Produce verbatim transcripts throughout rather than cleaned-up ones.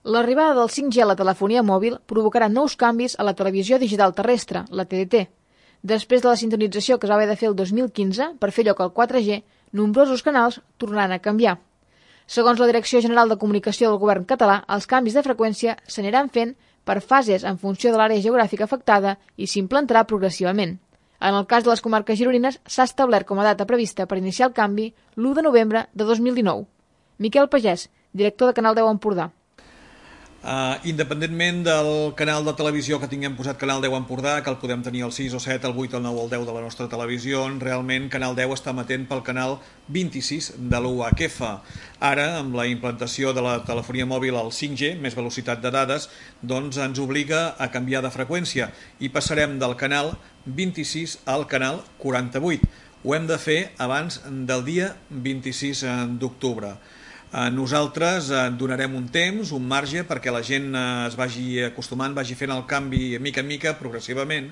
L'arribada del cinc G a la telefonia mòbil provocarà nous canvis a la televisió digital terrestre, la T D T. Després de la sintonització que es va haver de fer el dos mil quinze per fer lloc al quatre G, nombrosos canals tornaran a canviar. Segons la Direcció General de Comunicació del Govern català, els canvis de freqüència s'aniran fent per fases en funció de l'àrea geogràfica afectada i s'implantarà progressivament. En el cas de les comarques gironines, s'ha establert com a data prevista per iniciar el canvi l'u de novembre de dos mil dinou. Miquel Pagès, director de Canal deu Empordà. Uh, independentment del canal de televisió que tinguem posat Canal deu Empordà, que el podem tenir al sis, o set, el vuit, el nou o el deu de la nostra televisió, realment Canal deu està emetent pel canal vint-i-sis de l'U H F. Ara, amb la implantació de la telefonia mòbil al cinc G, més velocitat de dades, doncs ens obliga a canviar de freqüència i passarem del canal vint-i-sis al canal quaranta-vuit. Ho hem de fer abans del dia vint-i-sis d'octubre. Nosaltres donarem un temps, un marge, perquè la gent es vagi acostumant, vagi fent el canvi mica en mica, progressivament,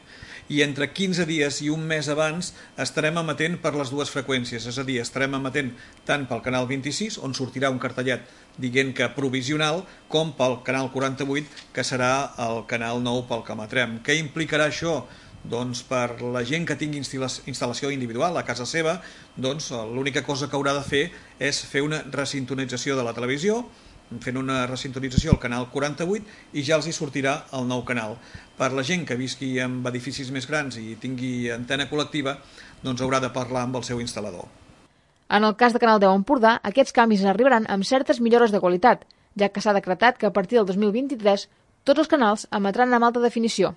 i entre quinze dies i un mes abans estarem emetent per les dues freqüències, és a dir, estarem emetent tant pel canal vint-i-sis, on sortirà un cartellet dient que provisional, com pel canal quaranta-vuit, que serà el canal nou pel que emetrem. Què implicarà això? Doncs per la gent que tingui instal·lació individual a casa seva, doncs l'única cosa que haurà de fer és fer una resintonització de la televisió, fent una resintonització al canal quaranta-vuit i ja els hi sortirà el nou canal. Per la gent que visqui en edificis més grans i tingui antena col·lectiva, doncs haurà de parlar amb el seu instal·lador. En el cas de Canal deu Empordà, aquests canvis arribaran amb certes millores de qualitat, ja que s'ha decretat que a partir del dos mil vint-i-tres tots els canals emetran amb alta definició.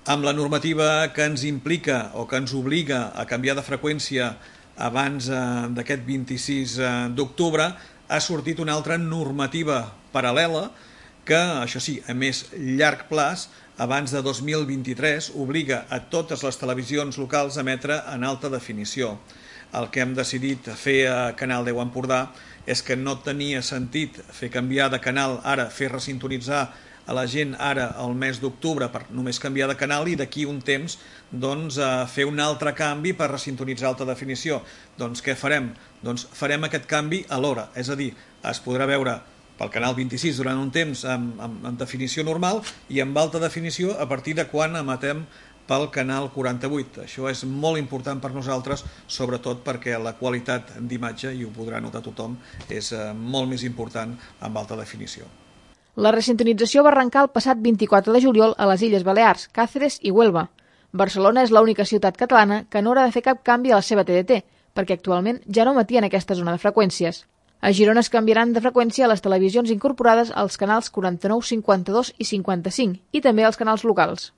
Amb la normativa que ens implica o que ens obliga a canviar de freqüència abans d'aquest vint-i-sis d'octubre, ha sortit una altra normativa paral·lela que, això sí, a més llarg plaç, abans de dos mil vint-i-tres, obliga a totes les televisions locals a emetre en alta definició. El que hem decidit fer a Canal deu Empordà és que no tenia sentit fer canviar de canal ara, fer resintonitzar a la gent ara al mes d'octubre per només canviar de canal i d'aquí un temps doncs, fer un altre canvi per resintonitzar alta definició. Doncs què farem? Doncs farem aquest canvi alhora, és a dir, es podrà veure pel canal vint-i-sis durant un temps en, en, en definició normal i amb alta definició a partir de quan emetem pel canal quaranta-vuit. Això és molt important per nosaltres, sobretot perquè la qualitat d'imatge, i ho podrà notar tothom, és molt més important amb alta definició. La resintonització va arrencar el passat vint-i-quatre de juliol a les Illes Balears, Càceres i Huelva. Barcelona és l'única ciutat catalana que no haurà de fer cap canvi a la seva T D T, perquè actualment ja no emetien aquesta zona de freqüències. A Girona es canviaran de freqüència a les televisions incorporades als canals quaranta-nou, cinquanta-dos i cinquanta-cinc, i també als canals locals.